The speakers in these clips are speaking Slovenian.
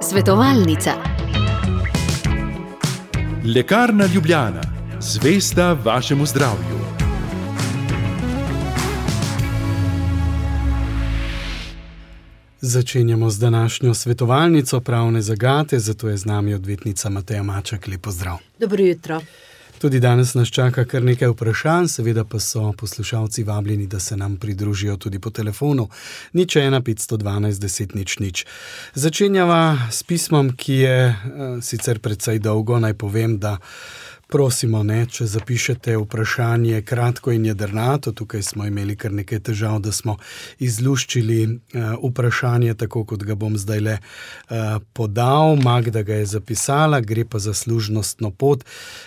Svetovalnica. Lekarna Ljubljana, zvesta vašemu zdravju. Začenjamo z današnjo svetovalnico pravne zagate, zato je z nami odvetnica Mateja Maček. Lep pozdrav. Dobro jutro. Tudi danes nas čaka kar nekaj vprašanj, seveda pa so poslušalci vabljeni, da se nam pridružijo tudi po telefonu 01 512 10 00. Začenjava s pismom, ki je sicer precej dolgo. Naj povem, da prosimo, če zapišete vprašanje kratko in jedrnato. Tukaj smo imeli kar nekaj težav, da smo izluščili vprašanje, tako kot ga bom zdajle podal. Magda ga je zapisala, gre pa za služnostno pot,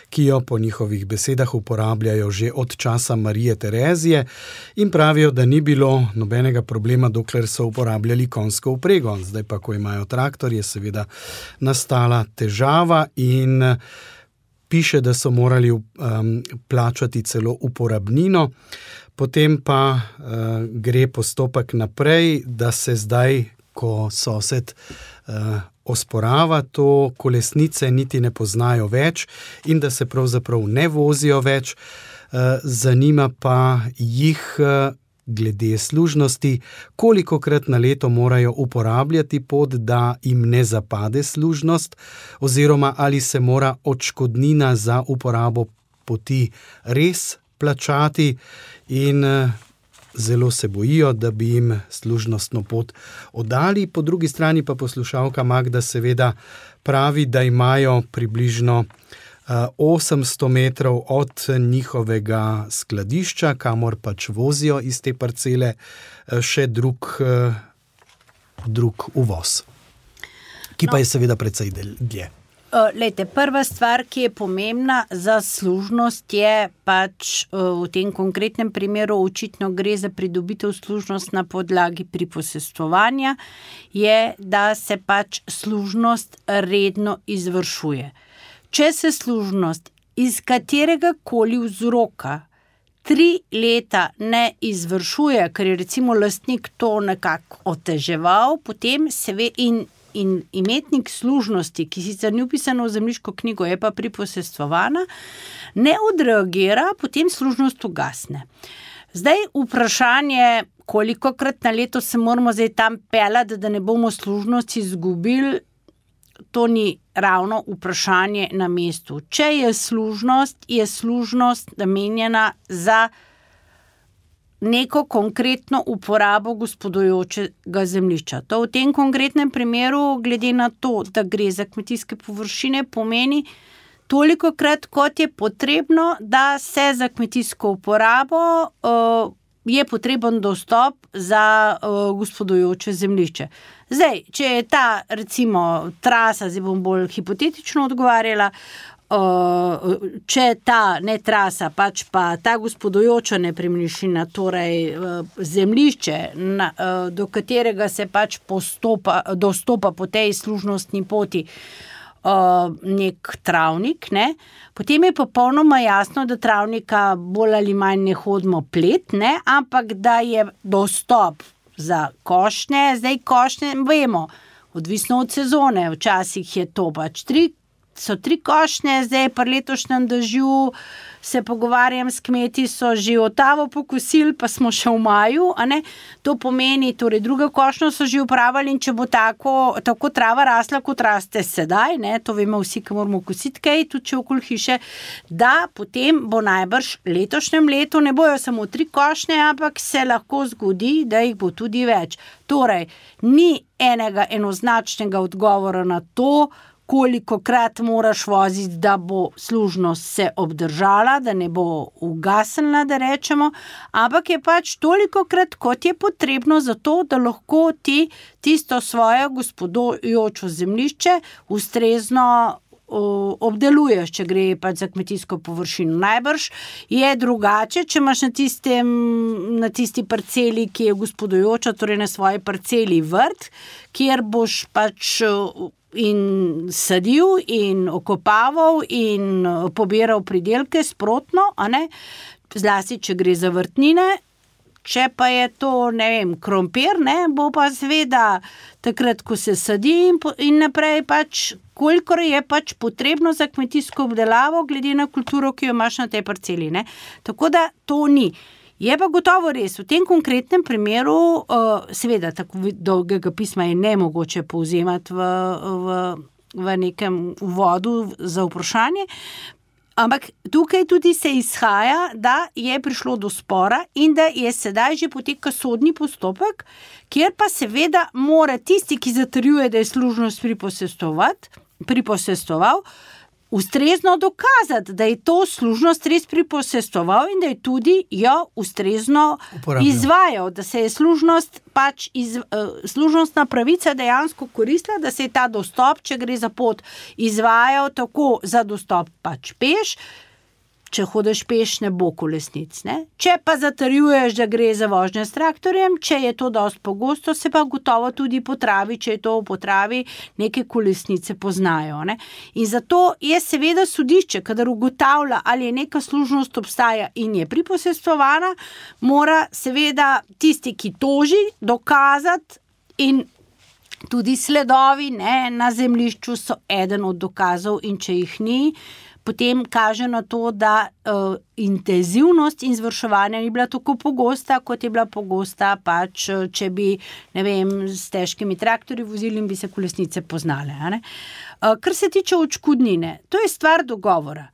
ki jo po njihovih besedah uporabljajo že od časa Marije Terezije in pravijo, da ni bilo nobenega problema, dokler so uporabljali konjsko vprego. Zdaj pa, ko imajo traktor, je seveda nastala težava in piše, da so morali plačati celo uporabnino, potem pa gre postopek naprej, da se zdaj, ko sosed osporava to, kolesnice niti ne poznajo več in da se pravzaprav ne vozijo več. Zanima pa jih glede služnosti, kolikokrat na leto morajo uporabljati pot, da jim ne zapade služnost, oziroma ali se mora odškodnina za uporabo poti res plačati, in zelo se bojijo, da bi jim služnostno pot oddali. Po drugi strani pa poslušalka Magda seveda pravi, da imajo približno 800 metrov od njihovega skladišča, kamor pač vozijo iz te parcele, še drug uvoz, ki pa je seveda precej dlje. Lejte, prva stvar, ki je pomembna za služnost, je pač v tem konkretnem primeru očitno gre za pridobitev služnost na podlagi priposestvovanja, je, da se pač služnost redno izvršuje. Če se služnost iz katerega koli vzroka 3 leta ne izvršuje, ker je recimo lastnik to nekako oteževal, potem se ve in imetnik služnosti, ki sicer ni vpisano v zemljiško knjigo, je pa priposestvovana, ne odreagira, potem služnost ugasne. Zdaj vprašanje, kolikokrat na leto se moramo zdaj tam peljati, da ne bomo služnosti izgubili, to ni ravno vprašanje na mestu. Če je služnost namenjena za neko konkretno uporabo gospodujočega zemljišča. To v tem konkretnem primeru, glede na to, da gre za kmetijske površine, pomeni tolikokrat, kot je potrebno, da se za kmetijsko uporabo je potreben dostop za gospodujoče zemljišče. Zdaj, če je ta, recimo, trasa, zdaj bom bolj hipotetično odgovarjala, če ta ne trasa, pač pa ta gospodujoča nepremičnina, torej zemljišče, do katerega se pač dostopa po tej služnostni poti nek travnik, ne? Potem je popolnoma jasno, da travnika bolj ali manj ne hodimo plet, ne? Ampak da je dostop za košnje. Zdaj košnje, vemo, odvisno od sezone, včasih je to pač 3 košnje, zdaj pri letošnjem dežju se pogovarjam s kmeti, so že otavo pokosili, pa smo še v maju, a ne? To pomeni, torej druga košnjo so že upravili, in če bo tako trava rasla, kot raste sedaj, ne? To vemo vsi, ki moramo kositi kaj, tudi če okoli hiše, da potem bo najbrž letošnjem letu, ne bojo samo 3 košnje, ampak se lahko zgodi, da jih bo tudi več. Torej, ni enega enoznačnega odgovora na to, kolikokrat moraš voziti, da bo služnost se obdržala, da ne bo ugasnila, da rečemo, ampak je pač tolikokrat, kot je potrebno za to, da lahko ti tisto svoje gospodujočo zemljišče ustrezno obdeluješ, če gre pač za kmetijsko površino. Najbrž je drugače, če imaš na tisti parceli, ki je gospodujoča, torej na svoji parceli vrt, kjer boš pač in sadil in okopaval in pobiral pridelke sprotno, a ne? Zlasti, če gre za vrtnine, če pa je to, ne vem, krompir, ne, bo pa seveda takrat, ko se sadi in naprej pač, kolikor je pač potrebno za kmetijsko obdelavo, glede na kulturo, ki jo imaš na tej parceli, ne. Tako da to ni. Je pa gotovo res, v tem konkretnem primeru, seveda, tako dolgega pisma je nemogoče povzemati v nekem uvodu za vprašanje, ampak tukaj tudi se izhaja, da je prišlo do spora in da je sedaj že poteka sodni postopek, kjer pa seveda mora tisti, ki zatrjuje, da je služnost priposestoval, ustrezno dokazati, da je to služnost res priposestoval in da je tudi jo ustrezno izvajal, da se je služnostna pravica dejansko koristila, da se je ta dostop, če gre za pot, izvajal tako za dostop pač peš. Če hodiš peš, ne bo kolesnic, ne? Če pa zatrjuješ, da gre za vožnje s traktorjem, če je to dosti pogosto, se pa gotovo tudi po travi, če je to po travi, neke kolesnice poznajo, ne? In zato je seveda sodišče, kadar ugotavlja, ali je neka služnost obstaja in je priposestvovana, mora seveda tisti, ki toži, dokazati in tudi sledovi, ne, na zemljišču so eden od dokazov in če jih ni, potem kaže na to, da intenzivnost izvrševanja ni bila tako pogosta, kot je bila pogosta pač, če bi, ne vem, s težkimi traktorji vozili in bi se kolesnice poznale, ne. Kar se tiče odškodnine, to je stvar dogovora.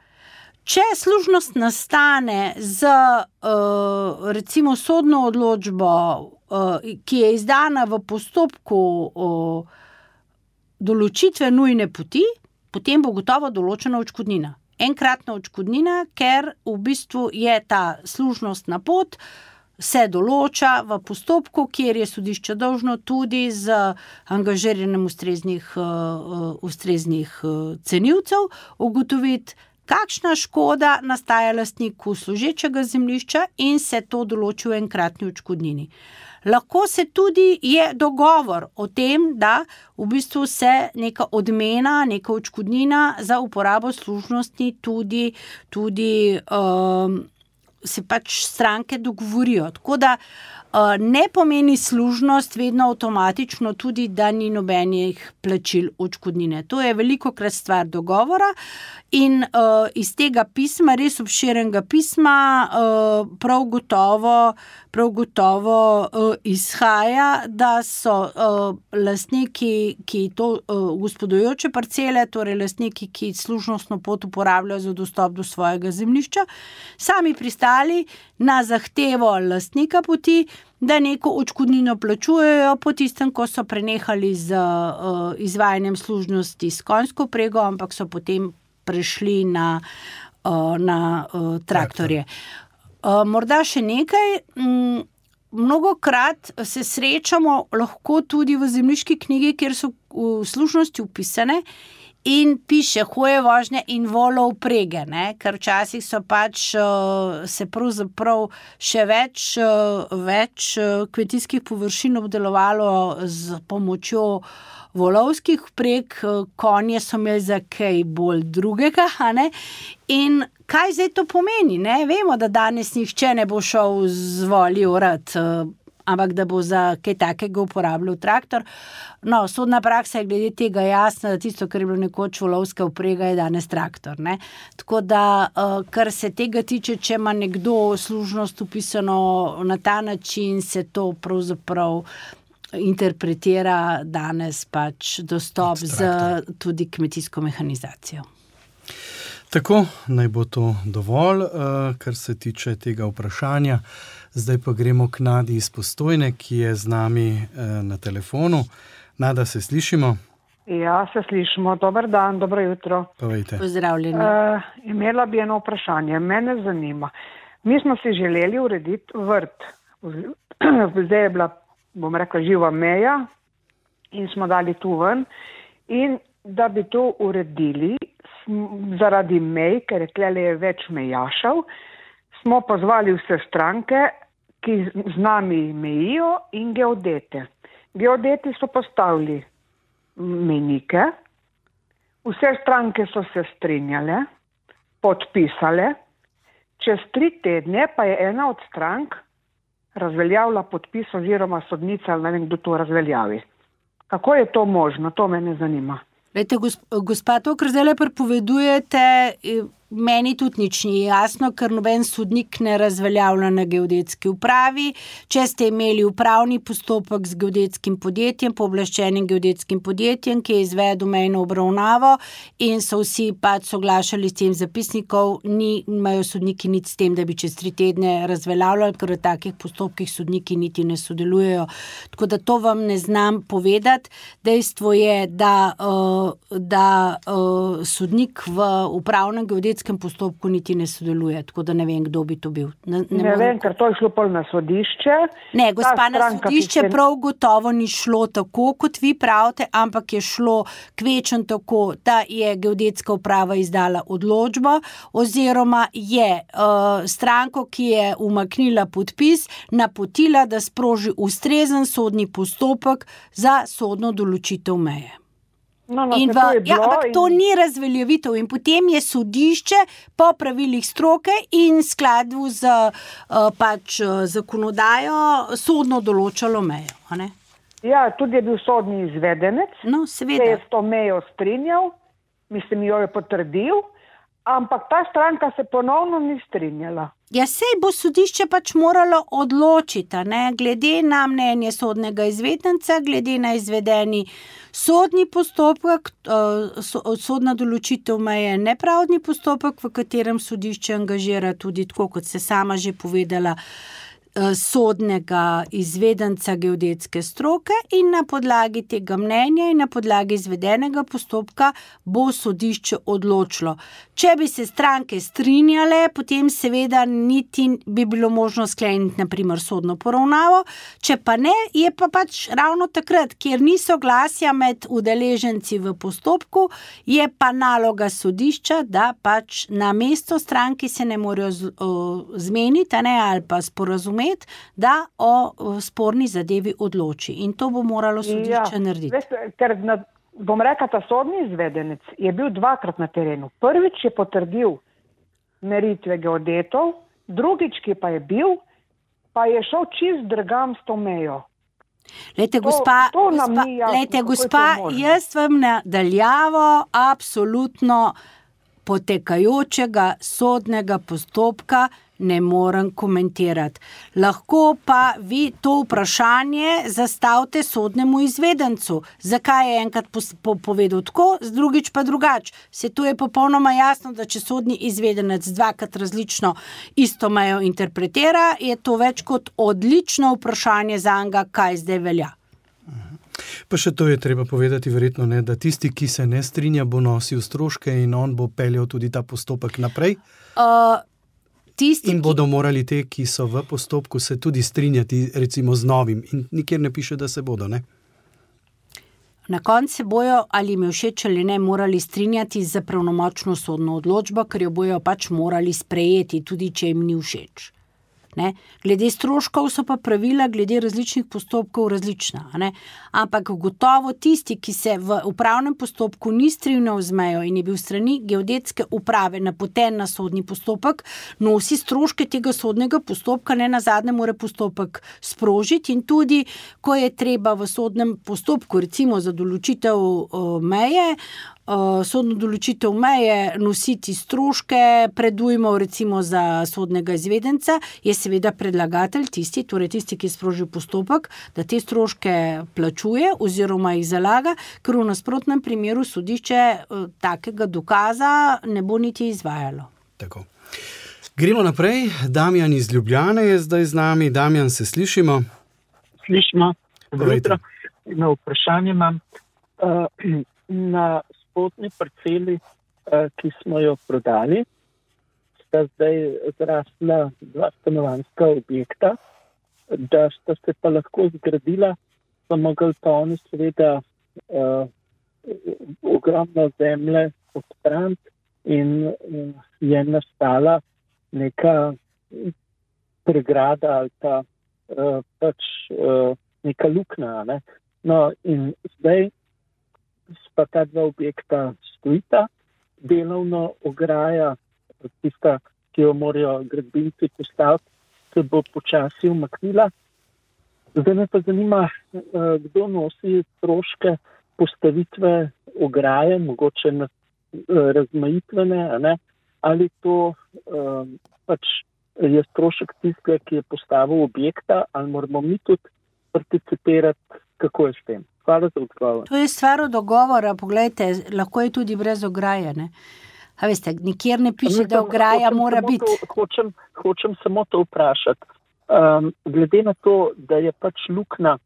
Če služnost nastane z recimo sodno odločbo, ki je izdana v postopku določitve nujne poti, potem bo gotovo določena odškodnina. Enkratna odškodnina, ker v bistvu je ta služnostna pot, se določa v postopku, kjer je sodišče dolžno tudi z angažiranjem ustreznih cenilcev ugotoviti, kakšna škoda nastaja lastniku služečega zemljišča in se to določi v enkratni odškodnini. Lahko se tudi je dogovor o tem, da v bistvu se neka odmena, neka odškodnina za uporabo služnosti tudi se pač stranke dogovorijo. Tako da ne pomeni služnost vedno avtomatično tudi, da ni nobenih plačil odškodnine. To je velikokrat stvar dogovora in iz tega pisma, res obširenega pisma, prav gotovo izhaja, da so lastniki, ki to gospodujoče parcele, torej lastniki, ki služnostno pot uporabljajo za dostop do svojega zemljišča, sami pristali na zahtevo lastnika poti, da neko odškodnino plačujejo po tistem, ko so prenehali z izvajanjem služnosti s konjsko vprego, ampak so potem prešli na traktorje. Morda še nekaj, mnogokrat se srečamo lahko tudi v zemljiški knjigi, kjer so v služnosti vpisane in piše hoje vožnje in volov vprege, ne? Ker včasih so pač se pravzaprav še več kmetijskih površin obdelovalo z pomočjo volovskih vpreg, konje so imeli za kaj bolj drugega, ne? In kaj zdaj to pomeni, ne? Vemo, da danes nihče ne bo šel z voli orat, ampak da bo za kaj takega uporabljal traktor. No, sodna praksa je glede tega jasna, da tisto, kar je bilo nekoč volovska vprega, je danes traktor, ne. Tako da, kar se tega tiče, če ima nekdo služnost vpisano na ta način, se to pravzaprav interpretira danes pač dostop z tudi kmetijsko mehanizacijo. Tako, naj bo to dovolj, kar se tiče tega vprašanja. Zdaj pa gremo k Nadi iz Postojne, ki je z nami na telefonu. Nada, se slišimo? Ja, se slišimo. Dober dan, dobro jutro. Povejte. Pozdravljeni. Imela bi eno vprašanje. Mene zanima. Mi smo si želeli urediti vrt. Zdaj je bila, bom rekla, živa meja in smo dali tu ven. In da bi to uredili zaradi mej, ker je več mejašev, smo pozvali vse stranke, ki z nami mejijo, in geodete. Geodeti so postavili mejnike, vse stranke so se strinjale, podpisale, čez 3 tedne pa je ena od strank razveljavlja podpis oziroma sodnica, ali ne vem, kdo to razveljavi. Kako je to možno? To me ne zanima. Lejte, gospa, to, kar zdaj prepovedujete, meni tudi nič ni jasno, ker noben sodnik ne razveljavlja na geodetski upravi. Če ste imeli upravni postopek z geodetskim podjetjem, pooblaščenim geodetskim podjetjem, ki je izvedel mejno obravnavo in so vsi pač soglašali s tem zapisnikov, imajo sodniki nič s tem, da bi čez 3 tedne razveljavljali, ker v takih postopkih sodniki niti ne sodelujejo. Tako da to vam ne znam povedati. Dejstvo je, da sodnik v upravnem geodetskem postopku niti ne sodeluje, tako da ne vem, kdo bi to bil. Ne vem, ker to je šlo pol na sodišče. Ne, gospa, na sodišče prav gotovo ni šlo tako, kot vi pravite, ampak je šlo kvečen tako, da je geodetska uprava izdala odločbo oziroma je stranko, ki je umaknila podpis, napotila, da sproži ustrezen sodni postopek za sodno določitev meje. Ampak to ni razveljavitev in potem je sodišče po pravilih stroke in skladu z zakonodajo sodno določalo mejo. Ne? Ja, tudi je bil sodni izvedenec, seveda. Se je s to mejo strinjal, jo je potrdil, ampak ta stranka se ponovno ni strinjala. Ja, sej bo sodišče pač moralo odločiti, glede na mnenje sodnega izvedenca, glede na izvedeni sodni postopek, sodna določitev meje je nepravdni postopek, v katerem sodišče angažira tudi, tako kot ste sama že povedala, sodnega izvedenca geodetske stroke in na podlagi tega mnenja in na podlagi izvedenega postopka bo sodišče odločilo. Če bi se stranke strinjale, potem seveda niti bi bilo možno skleniti na primer sodno poravnavo, če pa ne, je pa pač ravno takrat, kjer ni soglasja med udeleženci v postopku, je pa naloga sodišča, da pač na mesto stranki se ne morejo zmeniti, ali pa sporazumeti, da o sporni zadevi odloči. In to bo moralo sodišče narediti. Veste, ker bom rekla, ta sodni izvedenec je bil 2-krat na terenu. Prvič je potrdil meritve geodetov, drugič, ki pa je bil, pa je šel čist drugam s to mejo. Lejte, gospa, jaz vam nadaljavo absolutno potekajočega sodnega postopka ne morem komentirati. Lahko pa vi to vprašanje zastavite sodnemu izvedencu. Zakaj je enkrat povedal tako, drugič pa drugače? Se to je popolnoma jasno, da če sodni izvedenec 2-krat različno isto mejo interpretira, je to več kot odlično vprašanje zanj, kaj zdaj velja. Pa še to je treba povedati verjetno, da tisti, ki se ne strinja, bo nosil stroške in on bo peljal tudi ta postopek naprej. In bodo morali te, ki so v postopku, se tudi strinjati recimo z novim. In nikjer ne piše, da se bodo, ne? Na koncu se bojo, ali jim je všeč ali ne, morali strinjati za pravnomočno sodno odločbo, ker jo bojo pač morali sprejeti, tudi če jim ni všeč. Ne? Glede stroškov so pa pravila glede različnih postopkov različna. Ne? Ampak gotovo tisti, ki se v upravnem postopku ni strinjal z mejo in je bil strani geodetske uprave napoten na sodni postopek, nosi stroške tega sodnega postopka, ne nazadnje mora postopek sprožiti in tudi, ko je treba v sodnem postopku, recimo za določitev meje, sodno določitev meje nositi stroške predujmov recimo za sodnega izvedenca, je seveda predlagatelj tisti, ki je sprožil postopek, da te stroške plačuje oziroma jih zalaga, ker v nasprotnem primeru sodišče takega dokaza ne bo niti izvajalo. Tako. Gremo naprej. Damjan iz Ljubljane je zdaj z nami. Damjan, se slišimo? Slišimo. Dobro jutro. Na vprašanje imam. Na spodnji parceli, ki smo jo prodali, sta zdaj zrasla 2 stanovanjska objekta, da sta se pa lahko zgradila, pa mogli pa oni seveda ogromno zemlje odstraniti in je nastala neka pregrada ali pa pač neka luknja. Ne? No in zdaj pa ta 2 objekta stojita, delovno ograja, tista, ki jo morajo gradbinci postaviti, se bo počasi umaknila. Zdaj me pa zanima, kdo nosi stroške postavitve ograje, mogoče razmajitvene, ali to pač je strošek tistega, ki je postavil objekta, ali moramo mi tudi participirati, kako je s tem. Hvala za odgovor. To je stvar dogovora, poglejte, lahko je tudi brez ograje, ne? A veste, nikjer ne piše, da ograja mora biti. Hočem samo to vprašati. Glede na to, da je pač luknja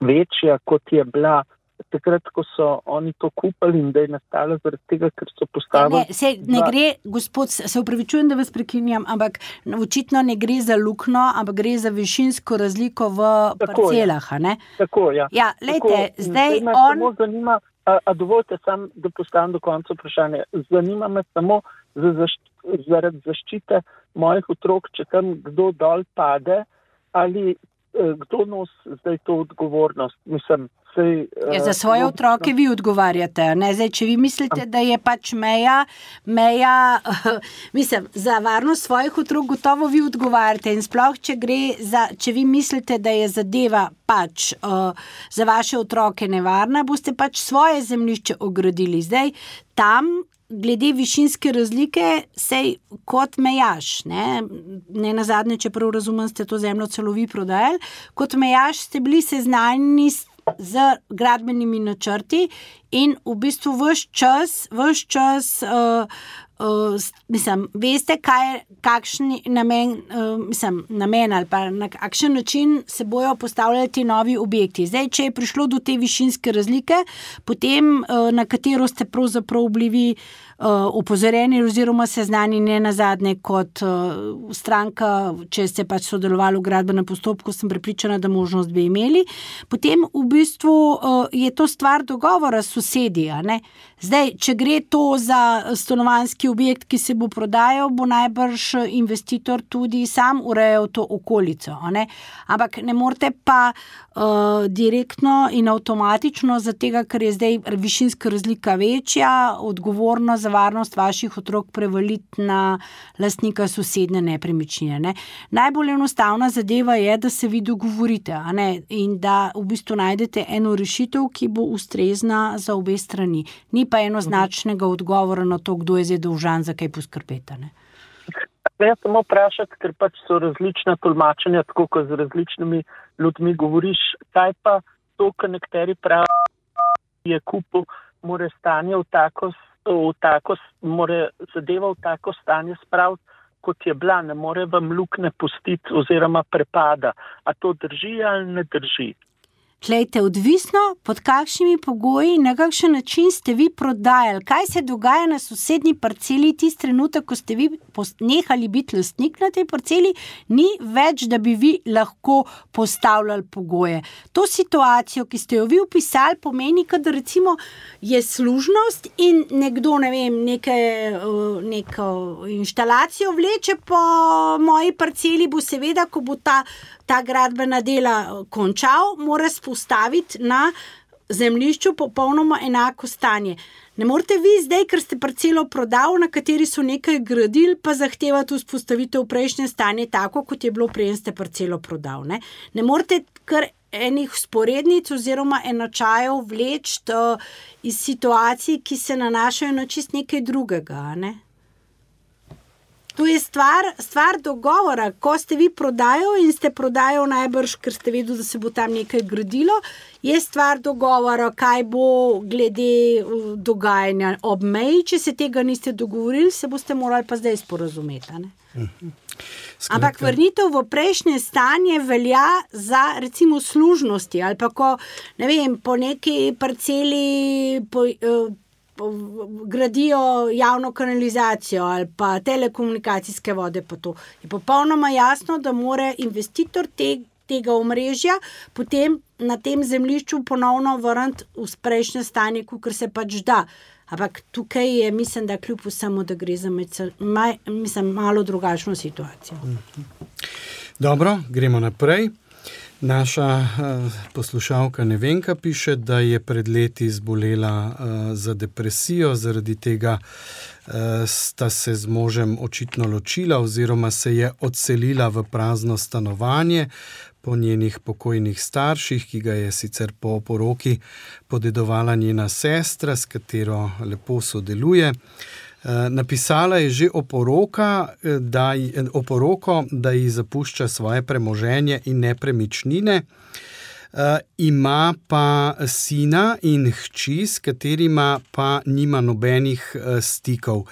večja, kot je bila takrat, ko so oni to kupili in da je nastala zaradi tega, ker so postavili... Ne gre, gospod, se upravičujem, da vas prekinjam, ampak očitno ne gre za luknjo, ampak gre za višinsko razliko v parcelah, ne? Tako, ja. Ja, lejte, zdaj me samo zanima, a dovolite sam, da postavim do konca vprašanje. Zanima me samo zaradi zaščite mojih otrok, če tam kdo dol pade, ali kdo nosi zdaj to odgovornost? Mislim, za svoje otroke vi odgovarjate, ne? Zdaj, če vi mislite, da je pač meja, mislim, za varnost svojih otrok gotovo vi odgovarjate in sploh, če vi mislite, da je zadeva pač za vaše otroke nevarna, boste pač svoje zemljišče ogradili. Zdaj, tam glede višinske razlike sej kot mejaš, ne nazadnje, če prav razumem, ste to zemljo celo vi prodajali, kot mejaš ste bili seznanjeni z gradbenimi načrti in v bistvu ves čas mislim, veste, kakšen namen ali pa na kakšen način se bojo postavljali ti novi objekti. Zdaj, če je prišlo do te višinske razlike, potem na katero ste pravzaprav bili opozorjeni oziroma seznanjeni nazadnje kot stranka, če ste pač sodelovali v gradbenem postopku, sem prepričana, da možnost bi imeli. Potem v bistvu je to stvar dogovora s sosedi, ne? Zdaj, če gre to za stanovanjski objekt, ki se bo prodajal, bo najbrž investitor tudi sam urejal to okolico, ne? Ampak ne morete pa direktno in avtomatično za tega, ker je zdaj višinska razlika večja, odgovorno za varnost vaših otrok prevaliti na lastnika sosedne nepremičnine, ne? Najbolj enostavna zadeva je, da se vi dogovorite, a ne? In da v bistvu najdete eno rešitev, ki bo ustrezna za obe strani. Ni pa enoznačnega odgovora na to, kdo je zdaj dolžan za kaj poskrbeti, ne? Jaz samo vprašati, ker pač so različna tolmačenja, tako kot z različnimi ljudmi govoriš, kaj pa to, kar nekateri pravi, je kupil, more stanje more zadeva v tako stanje spraviti, kot je bila, ne more vam luknje pustiti oziroma prepada. A to drži ali ne drži? Glejte, odvisno, pod kakšnimi pogoji, na kakšen način ste vi prodajali, kaj se dogaja na sosednji parceli tisti trenutek, ko ste vi nehali biti lastnik na tej parceli, ni več, da bi vi lahko postavljali pogoje. To situacijo, ki ste jo vi opisali, pomeni, da recimo je služnost in nekdo, ne vem, neko inštalacijo vleče po moji parceli, bo seveda, ko bo ta gradbena dela končal, mora spostaviti na zemljišču popolnoma enako stanje. Ne morete vi zdaj, ker ste parcelo prodali, na kateri so nekaj gradili, pa zahtevati vzpostavitev prejšnje stanje tako, kot je bilo preden ste parcelo prodali. Ne morete kar enih sporednic oziroma enačajev vleči iz situacij, ki se nanašajo na čist nekaj drugega, ne? To je stvar dogovora. Ko ste vi prodajali in ste prodajali najbrž, ker ste vedeli, da se bo tam nekaj gradilo, je stvar dogovora, kaj bo glede dogajanja ob meji. Če se tega niste dogovorili, se boste morali pa zdaj sporazumeti, ne? Ampak vrnitev v prejšnje stanje velja za recimo služnosti ali pa ko, ne vem, po neki parceli gradijo javno kanalizacijo ali pa telekomunikacijske vode, pa to je popolnoma jasno, da mora investitor tega omrežja potem na tem zemljišču ponovno vrniti v prejšnje stanje, kakor se pač da. Ampak tukaj je, mislim, da kljub vsemu, da gre za malo drugačno situacijo. Dobro, gremo naprej. Naša poslušalka Nevenka piše, da je pred leti zbolela za depresijo, zaradi tega sta se z možem očitno ločila oziroma se je odselila v prazno stanovanje po njenih pokojnih starših, ki ga je sicer po poroki podedovala njena sestra, s katero lepo sodeluje. Napisala je že oporoko, da ji zapušča svoje premoženje in nepremičnine. Ima pa sina in hči, s katerima pa nima nobenih stikov.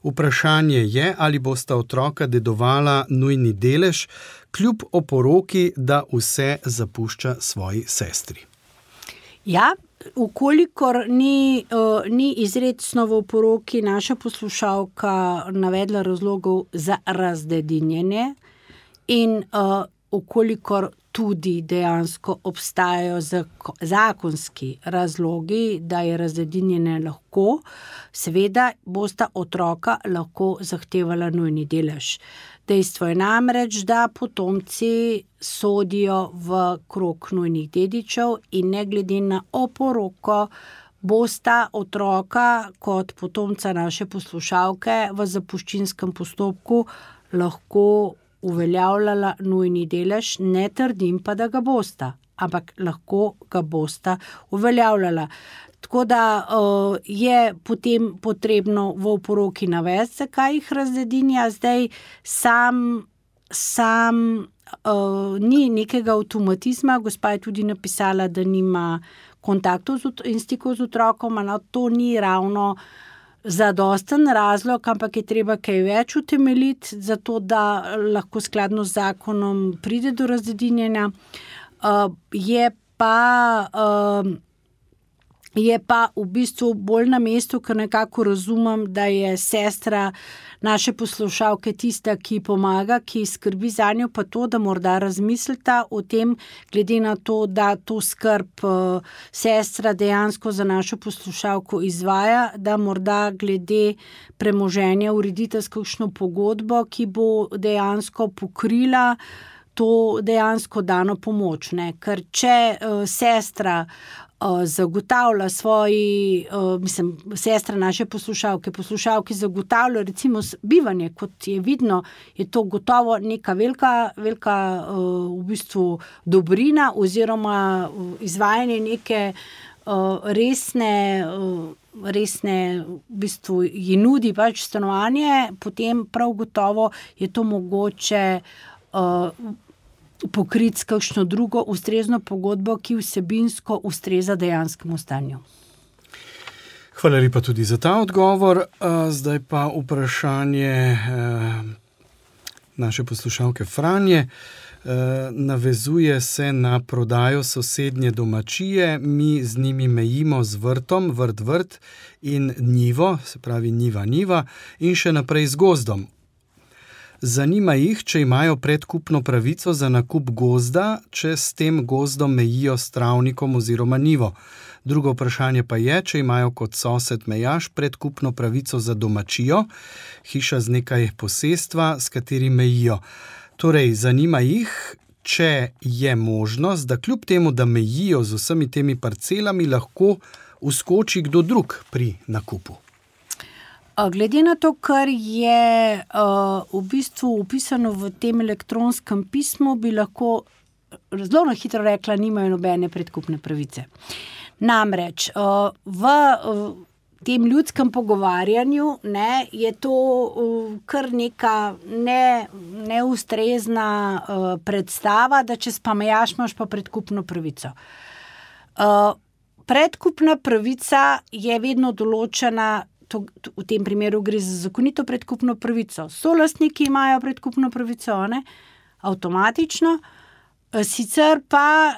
Vprašanje je, ali bosta otroka dedovala nujni delež, kljub oporoki, da vse zapušča svoji sestri. Ja, ukolikor ni izrecno v oporoki naša poslušalka navedla razlogov za razdedinjenje in ukolikor tudi dejansko obstajajo zakonski razlogi, da je razdedinjenje lahko, seveda bosta otroka lahko zahtevala nujni delež. Dejstvo je namreč, da potomci sodijo v krog nujnih dedičev in ne glede na oporoko bosta otroka kot potomca naše poslušalke v zapuščinskem postopku lahko uveljavljala nujni delež, ne trdim pa, da ga bosta, ampak lahko ga bosta uveljavljala. Tako da je potem potrebno v oporoki navesti, zakaj jih razdedinja. Zdaj sam ni nekega avtomatizma, gospa je tudi napisala, da nima kontaktov in stikov z otrokom, no, to ni ravno zadosten razlog, ampak je treba kaj več utemeljiti, zato da lahko skladno z zakonom pride do razdedinjenja. Je pa v bistvu bolj na mestu, ker nekako razumem, da je sestra naše poslušalke tista, ki pomaga, ki skrbi zanjo, pa to, da morda razmislita o tem, glede na to, da to skrb sestra dejansko za našo poslušalko izvaja, da morda glede premoženja uredita s kakšno pogodbo, ki bo dejansko pokrila to dejansko dano pomoč, ne? Ker če sestra zagotavlja sestra naše poslušalke zagotavlja recimo bivanje, kot je vidno, je to gotovo neka velika v bistvu dobrina oziroma izvajanje neke resne v bistvu ji nudi pač stanovanje, potem prav gotovo je to mogoče pokriti s kakšno drugo ustrezno pogodbo, ki vsebinsko ustreza dejanskemu stanju. Hvala lepa tudi za ta odgovor. Zdaj pa vprašanje naše poslušalke Franje. Navezuje se na prodajo sosednje domačije. Mi z njimi mejimo z vrtom, vrt in njivo, se pravi njiva in še naprej z gozdom. Zanima jih, če imajo predkupno pravico za nakup gozda, če s tem gozdom mejijo s travnikom oziroma njivo. Drugo vprašanje pa je, če imajo kot sosed mejaš predkupno pravico za domačijo, hiša z nekaj posestva, s katerim mejijo. Torej, zanima jih, če je možnost, da kljub temu, da mejijo z vsemi temi parcelami, lahko vskoči kdo drug pri nakupu. Glede na to, kar je v bistvu upisano v tem elektronskem pismu, bi lahko zelo hitro rekla, nimajo nobene predkupne pravice. Namreč v tem ljudskem pogovarjanju je to kar neka neustrezna predstava, da če spamejaš, imaš pa predkupno pravico. Predkupna pravica je vedno določena, v tem primeru gre za zakonito predkupno pravico. Solastniki imajo predkupno pravico, avtomatično, sicer pa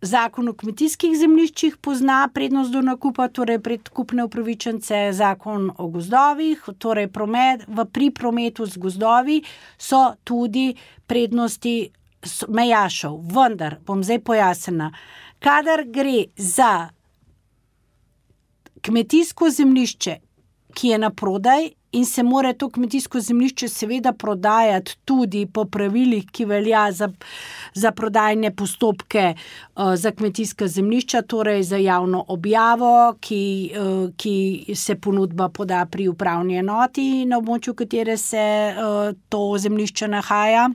zakon o kmetijskih zemljiščih pozna prednost do nakupa, torej predkupne upravičence, zakon o gozdovih, torej pri prometu z gozdovi so tudi prednosti mejašev. Vendar, bom zdaj pojasnila, kadar gre za kmetijsko zemljišče, ki je na prodaj, in se mora to kmetijsko zemljišče seveda prodajati tudi po pravilih, ki velja za prodajne postopke za kmetijska zemljišča, torej za javno objavo, ki se ponudba poda pri upravni enoti, na območju katere se to zemljišče nahaja.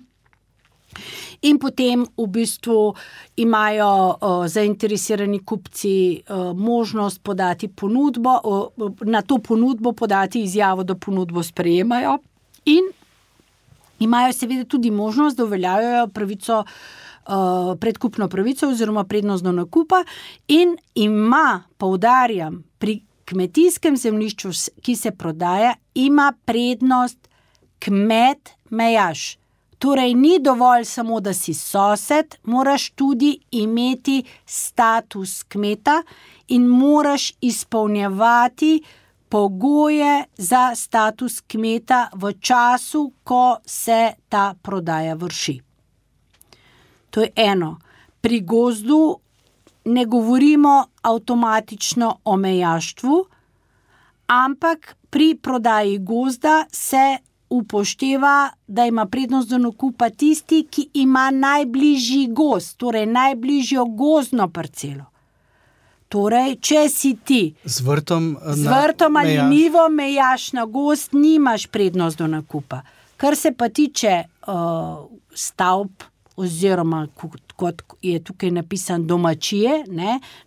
In potem v bistvu imajo zainteresirani kupci možnost podati ponudbo, na to ponudbo podati izjavo, da ponudbo sprejemajo, in imajo seveda tudi možnost, da uveljavljajo pravico, predkupno pravico oziroma prednost do nakupa, in ima, poudarjam, pri kmetijskem zemljišču, ki se prodaja, ima prednost kmet mejaš. Torej, ni dovolj samo, da si sosed, moraš tudi imeti status kmeta in moraš izpolnjevati pogoje za status kmeta v času, ko se ta prodaja vrši. To je eno. Pri gozdu ne govorimo avtomatično o mejaštvu, ampak pri prodaji gozda se upošteva, da ima prednost do nakupa tisti, ki ima najbližji gozd, torej najbližjo gozdno parcelo. Torej, če si ti z vrtom ali njivo mejaš na gozd, nimaš prednost do nakupa. Kar se pa tiče stavb oziroma, kot je tukaj napisan, domačije,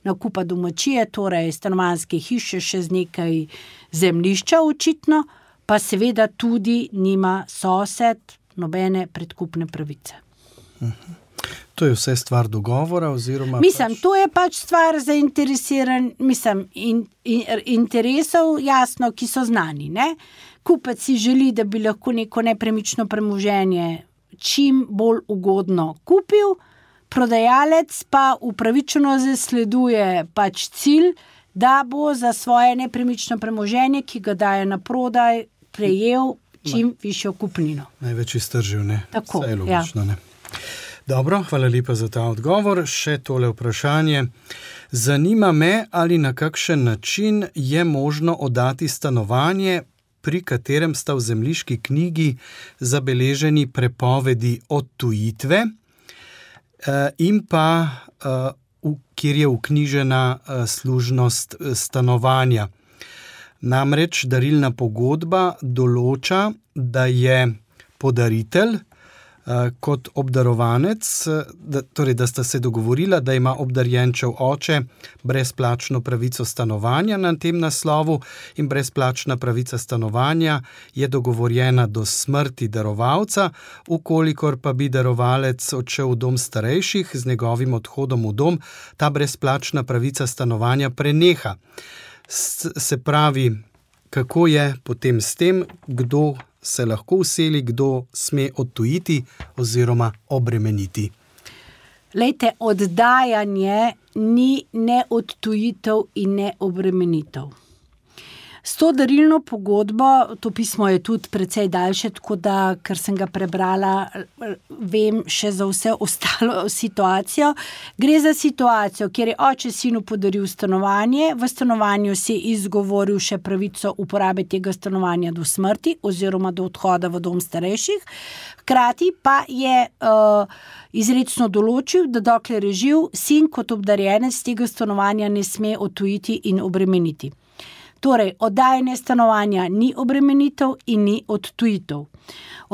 nakupa domačije, torej stanovanjske hiše še z nekaj zemljišča očitno, pa seveda tudi nima sosed nobene predkupne pravice. To je vse stvar dogovora oziroma... to je pač stvar zainteresiran, interesov, jasno, ki so znani, Kupec si želi, da bi lahko neko nepremično premoženje čim bolj ugodno kupil, prodajalec pa upravičeno zasleduje pač cilj, da bo za svoje nepremično premoženje, ki ga daje na prodaj, prejel čim višjo kupnino. Največ iztržil, Tako, vse je logično, Dobro, hvala lepa za ta odgovor. Še tole vprašanje. Zanima me, ali na kakšen način je možno oddati stanovanje, pri katerem sta v zemljiški knjigi zabeleženi prepovedi odtujitve in pa kjer je vknjižena služnost stanovanja. Namreč darilna pogodba določa, da je podaritelj kot obdarovanec, da sta se dogovorila, da ima obdarjenčev oče brezplačno pravico stanovanja na tem naslovu, in brezplačna pravica stanovanja je dogovorjena do smrti darovalca, ukolikor pa bi darovalec odšel v dom starejših, z njegovim odhodom v dom ta brezplačna pravica stanovanja preneha. Se pravi, kako je potem s tem, kdo se lahko vseli, kdo sme odtujiti oziroma obremeniti? Lejte, oddajanje ni ne odtujitev in ne obremenitev. S to darilno pogodbo, to pismo je tudi precej daljše, tako da, ker sem ga prebrala, vem še za vse ostalo situacijo. Gre za situacijo, kjer je oče sinu podaril stanovanje, v stanovanju si izgovoril še pravico uporabe tega stanovanja do smrti oziroma do odhoda v dom starejših, hkrati pa je izrecno določil, da dokler je živ, sin kot obdarjenec tega stanovanja ne sme odtujiti in obremeniti. Torej, oddajanje stanovanja ni obremenitev in ni odtujitev.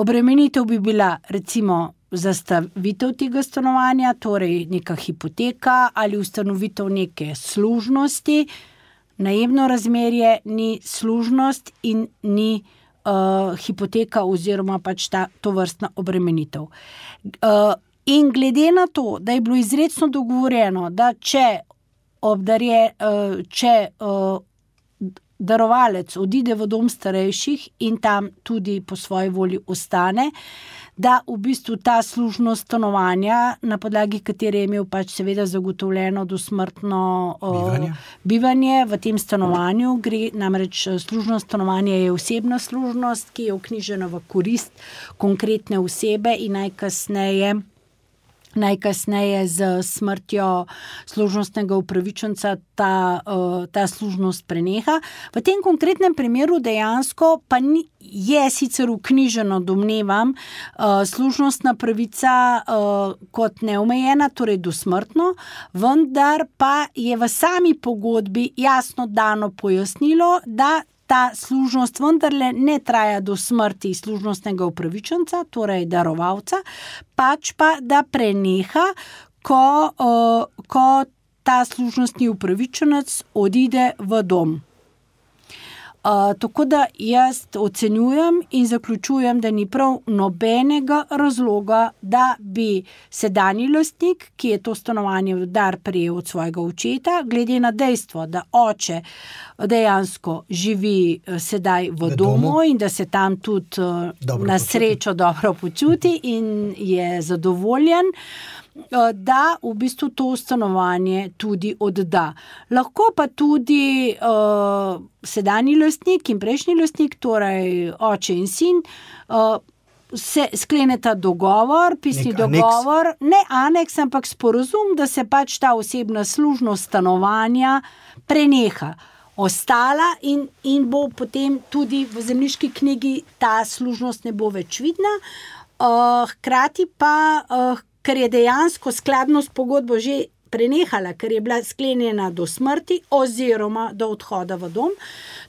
Obremenitev bi bila recimo zastavitev tega stanovanja, torej neka hipoteka ali ustanovitev neke služnosti. Najemno razmerje ni služnost in ni hipoteka oziroma pač to vrstna obremenitev. In glede na to, da je bilo izrecno dogovorjeno, da če darovalec odide v dom starejših in tam tudi po svoji volji ostane, da v bistvu ta služnost stanovanja, na podlagi katere je imel pač seveda zagotovljeno dosmrtno bivanje v tem stanovanju, gre namreč služnost stanovanja je osebna služnost, ki je vknjižena v korist konkretne osebe in najkasneje najkasneje z smrtjo služnostnega upravičenca ta služnost preneha. V tem konkretnem primeru dejansko pa je sicer vknjiženo, domnevam, služnostna pravica kot neomejena, torej dosmrtno, vendar pa je v sami pogodbi jasno dano pojasnilo, da ta služnost vendarle ne traja do smrti služnostnega upravičenca, torej darovalca, pač pa da preneha, ko ta služnostni upravičenec odide v dom. Tako da jaz ocenjujem in zaključujem, da ni prav nobenega razloga, da bi sedanji lastnik, ki je to stanovanje v dar prejel od svojega očeta, glede na dejstvo, da oče dejansko živi sedaj v domu in da se tam tudi na srečo dobro počuti in je zadovoljen, da v bistvu to stanovanje tudi odda. Lahko pa tudi sedanji lastnik in prejšnji lastnik, torej oče in sin, se skleneta dogovor, pisni dogovor, ne aneks, ampak sporazum, da se pač ta osebna služnost stanovanja preneha. Ostala in bo potem tudi v zemljiški knjigi ta služnost ne bo več vidna. Hkrati pa ker je dejansko skladno s pogodbo že prenehala, ker je bila sklenjena do smrti oziroma do odhoda v dom.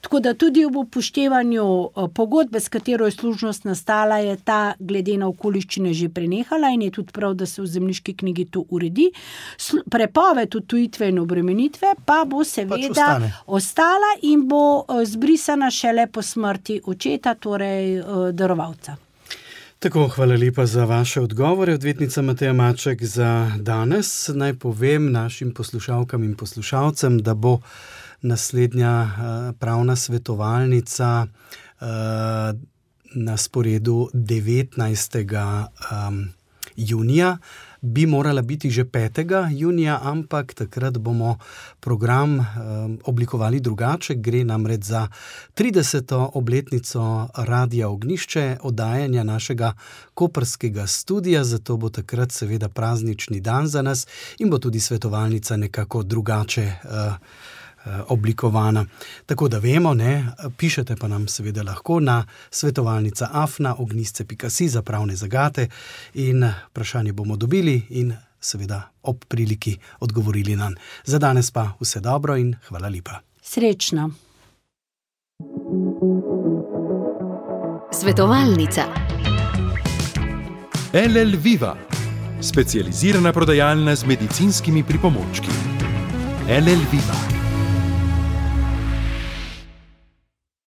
Tako da tudi ob upoštevanju pogodbe, s katero je služnost nastala, je ta glede na okoliščine že prenehala in je tudi prav, da se v zemljiški knjigi to uredi. Prepoved odtujitve in obremenitve pa bo seveda ostala in bo zbrisana šele po smrti očeta, torej darovalca. Tako, hvala lepa za vaše odgovore, odvetnica Mateja Maček, za danes. Naj povem našim poslušalkam in poslušalcem, da bo naslednja pravna svetovalnica na sporedu 19. junija. Bi morala biti že 5. junija, ampak takrat bomo program oblikovali drugače. Gre namreč za 30. obletnico Radia Ognjišče, oddajanja našega koprskega studia, zato bo takrat seveda praznični dan za nas in bo tudi svetovalnica nekako drugače oblikovana. Tako da vemo, pišete pa nam seveda lahko na svetovalnica@ognjisce.si za pravne zagate in vprašanje bomo dobili in seveda ob priliki odgovorili nam. Za danes pa vse dobro in hvala lepa. Srečno. Svetovalnica. LL Viva, specializirana prodajalna z medicinskimi pripomočki. LL Viva.